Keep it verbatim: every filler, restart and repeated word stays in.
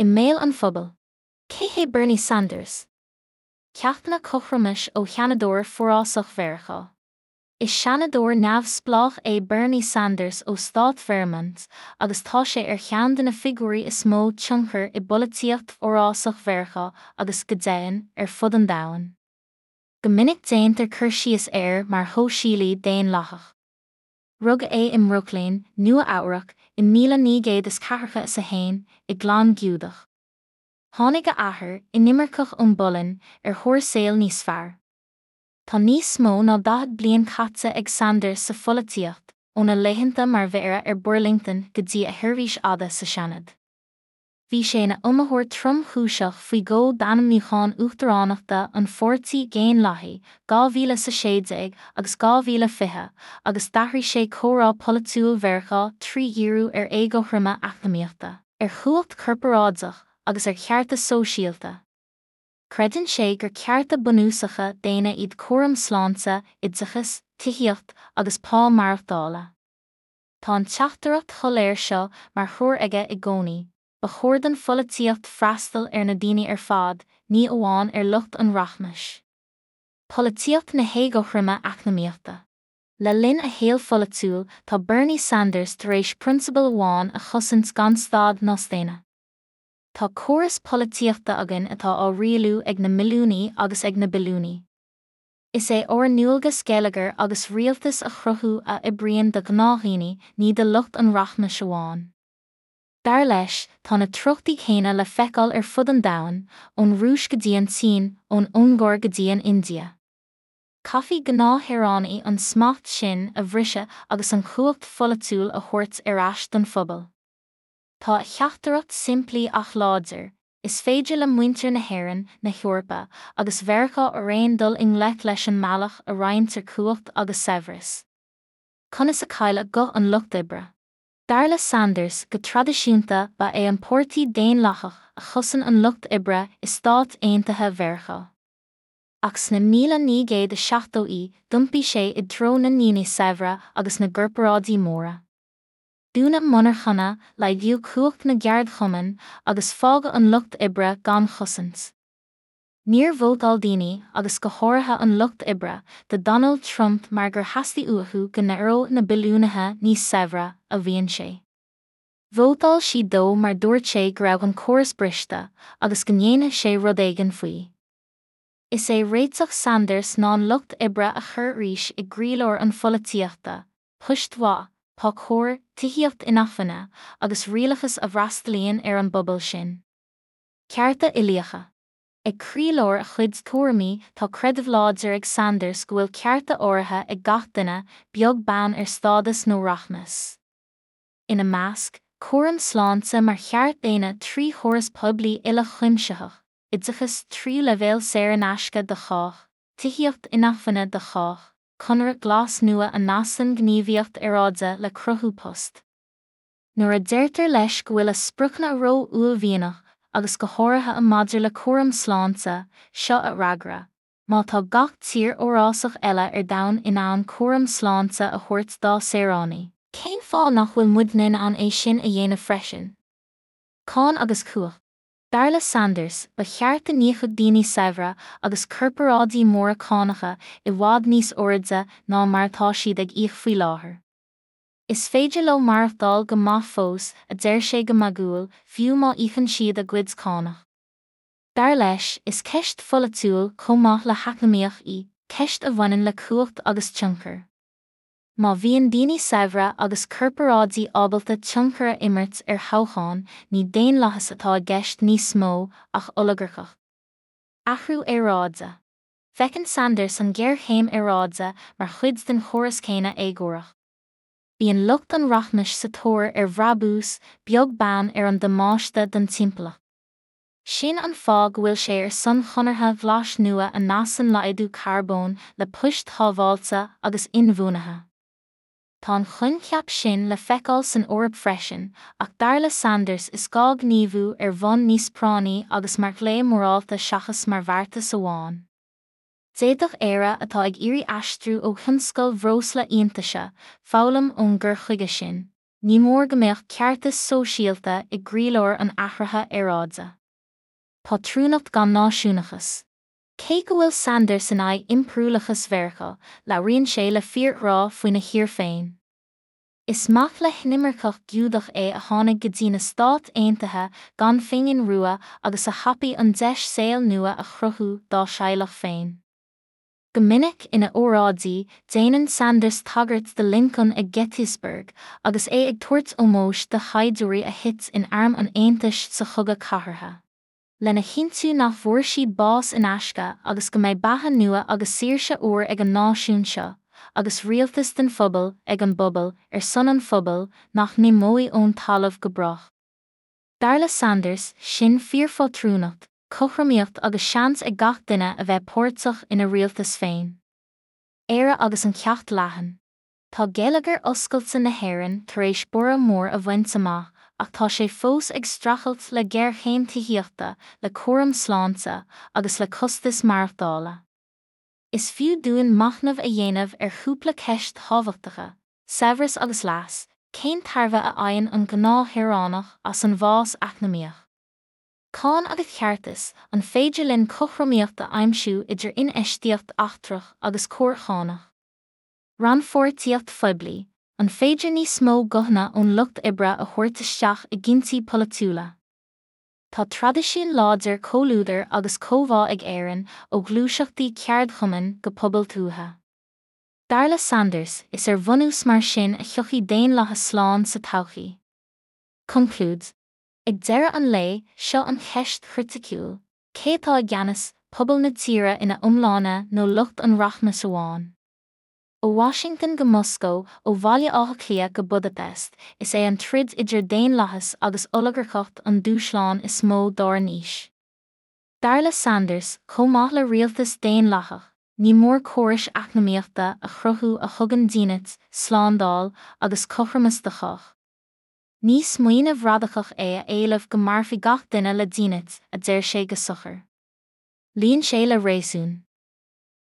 I mbéal an phobail. Cé hé Bernie Sanders? Ceachtanna cothromais ó sheanadóir forásach Mheiriceá. Is seanadóir neamhspleách é Bernie Sanders ó stát Vermont agus tá sé ar cheann de na figiúirí is mó tionchar i bpolaitíocht fhorásach Mheiriceá agus go deimhin ar fud an domhain. Go minic déantar cur síos air mar shóisialaí daonlathach. Rugadh é i mBrooklyn, Nua Eabhrac, i míle naoi gcéad is ceathracha is a haon, i gclann Giúdach. Tháinig a athair, inimirceach ón bPolainn, ar thóir saol níos fearr. Tá níos mó ná daichead bliain caite ag Sanders sa pholaitíocht, óna laethanta mar mhéara ar Burlington go dtí a sheirbhís fhada sa Seanad. Bhí sé ina iomaitheoir tromchúiseach faoi dhó d'ainmniúchán uachtaránachta an Pháirtí Dhaonlathaigh dhá mhíle is a sé déag agus dhá mhíle fiche agus d'athraigh sé comhrá polaitiúil Mheiriceá trí dhíriú ar éagothroime eacnamaíochta, ar chumhacht chorparáideach agus ar chearta sóisialta. Creideann sé gur cearta bunúsacha daonna iad cúram sláinte, oideachas, tithíocht agus pá maireachtála. Tá an teachtaireacht shoiléir seo mar threoir aige i gcónaí, ba chóir don pholaitíocht freastal ar na daoine ar fad, ní amháin ar lucht an rachmais. Polaitíocht na héagothroime eacnamaíochta. Le linn a shaoil pholaitiúil tá Bernie Sanders tar éis prionsabal amháin a chosaint gan stad ná staonadh. Tá córas polaitíochta againn atá á rialú ag na milliúnaí agus ag na billiúnaí. Is é ár ndualgas geilleagar agus rialtas a chruthú a oibríonn do ghnáthdhaoine, ní do lucht an rachmais amháin. Dar leis, tá na treochtaí céanna le feiceáil ar fud an domhain, ón Rúis go dtí an tSín, ón Ungáir go dtí an India. Caithfidh gnáthshaoránaigh an smacht sin a bhriseadh agus an chumhacht pholaitiúil a thabhairt ar ais don phobal. Tá a theachtaireacht simplí ach láidir, is féidir le muintir na hÉireann, na hEorpa agus Mheiriceá araon dul i ngleic leis an mbealach a roinntear cumhacht agus saibhreas. Conas a cailleadh guth an lucht oibre? Dar le Sanders, go traidisiúnta ba é an Páirtí Daonlathach a chosain an lucht oibre i Stáit Aontaithe Mheiriceá. Ach sna míle naoi gcéad is seachtóidí d'iompaigh sé i dtreo na ndaoine saibhre agus na gcorparáidí móra. Dúnadh monarchana, laghdaíodh cumhacht na gceardchumann agus fágadh an lucht oibre gan chosaint. Níor vótáil daoine, agus go háirithe an lucht oibre, do Donald Trump mar gur theastaigh uathu go n-éireodh na billiúnaithe níos saibhre, a mhaíonn sé. Vótáil siad dó mar dúirt sé go raibh an córas briste agus go ndéanfadh sé rud éigin faoi. Is é réiteach Sanders ná an lucht oibre a chur arís i gcroílár an pholaitíochta, poist mhaith, pá cóir, tithíocht inacmhainne agus rialachas a bhfreastalaíonn ar an bpobal sin. Cearta uilíocha. Ag croílár a chuid tuairimí tá creideamh láidir ag Sanders go bhfuil cearta áirithe ag gach duine, beag beann ar stádas nó rachmas. Ina measc, cúram sláinte mar cheart daonna trí chóras poiblí uilechuimsitheach, oideachas tríú leibhéal saor in aisce do chách, tithíocht inacmhainne do chách, conradh glas nua a nascann gníomhaíocht aeráide le cruthú post. Nuair a deirtear leis go bhfuil a spriocanna ró-uaillmhianach agus go háirithe maidir le cúram sláinte, seo a fhreagra, má tá gach tír fhorásach eile ar domhan in ann cúram sláinte a thabhairt dá saoránaigh, cén fáth nach bhfuil muidne in ann é sin a dhéanamh freisin? Cáin agus cumhacht. Dar le Sanders, ba cheart go n-íocfadh daoine saibhre agus corparáidí móra cánacha i bhfad níos airde ná mar atá siad ag íoc faoi láthair. Is féidir leo maireachtáil go maith fós, a deir sé go magúil, fiú má íocann siad a gcuid cánach. Dar leis, is ceist pholaitiúil chomh maith le heacnamaíoch í, ceist a bhaineann le cumhacht agus tionchar. Má bhíonn daoine saibhre agus corparáidí ábalta tionchar a imirt ar thoghcháin, ní daonlathas atá i gceist níos mó ach olagarcacht. Athrú aeráide. Feiceann Sanders an ghéarchéim aeráide mar chuid den chóras céanna éagórach. Bíonn lucht an rachmais sa tóir ar bhrabús, beag beann ar an damáiste don timpeallacht. Sin an fáth go bhfuil sé ar son chonartha ghlais nua a nascann laghdú carbóin le poist shábháilte agus inbhuanaithe. Tá an coincheap sin le feiceáil san Eoraip freisin, ach dar le Sanders is gá gníomhú ar bhonn níos práinní agus mar ghlao morálta seachas mar bheartas amháin. D'fhéadfadh Éire atá ag iarraidh aistriú ó thionscal bhreosla iontaise, foghlaim ón gcur chuige sin. ní mór go mbeadh ceartas sóisialta i gcroílár an athraithe aeráide. Pátrúnacht gan náisiúnachas. Cé go bhfuil Sanders in aghaidh impiriúlachas Mheiriceá, labhraíonn sé le fíorghrá faoina thír féin. Is mac le hinimirceach Giúdach é a tháinig go dtí na Stáit Aontaithe gan phingin rua agus a thapaigh an deis saol nua a chruthú dá theaghlach féin. Go minic ina óráidí, déanann Sanders tagairt do Lincoln ag Gettysburg, agus é ag tabhairt ómóis do shaighdiúirí a thit in arm an Aontais sa Chogadh Cathartha. Lena chinntiú nach bhfuair siad bás in aisce agus go mbeidh beatha nua agus saoirse úr ag an náisiún seo, agus rialtas den phobal, ag an bpobal, ar son an phobail, nach n-imeoidh ón talamh go brách. Dar le Sanders, sin fíorphátrúnacht, cothromaíocht agus seans ag gach duine a bheith páirteach ina rialtas féin. Éire agus an ceacht leathan. Tá geilleagar oscailte na hÉireann tar éis borradh mór a bhaint amach, ach tá sé fós ag streachailt le géarchéim tithíochta, le cúram sláinte, agus le costais maireachtála. Is fiú dúinn machnamh a dhéanamh ar chúpla ceist thábhachtacha, saibhreas agus leas, cén tairbhe a fhaigheann an gnáthshaoránach as an bhfás eacnamaíoch? Cáin agus ceartas, an féidir linn cothromaíocht a aimsiú idir infheistíocht eachtrach agus cóir chánach? Rannpháirtíocht phoiblí, an féidir níos mó guthanna ón lucht oibre a thabhairt isteach i gcinntí polaitiúla? Tá traidisiún láidir comhluadair agus comhbhá ag Éirinn, ó ghluaiseachtaí ceardchumainn go pobail tuaithe. Dar le Sanders, is ar bhunús mar sin a thiocfaidh daonlathas slán sa todhchaí. Conclúid. Ag deireadh an lae, seo an cheist chriticiúil, cé atá i gceannas, pobal na tíre ina iomláine nó lucht an rachmais amháin? Ó Washington go Moscó, ó Bhaile Átha Cliath go Budapest, is é an troid idir daonlathas agus olagarcacht an dúshlán is mó dár n-aois. Dar le Sanders, chomh maith le rialtas daonlathach, ní mór córais eacnamaíochta a chruthú a thugann dínit, slándáil agus cothromas do chách. Ní smaoineamh radacach é a éileamh go mairfidh gach duine le dínit, a deir sé go socair. Luíonn sé le réasún.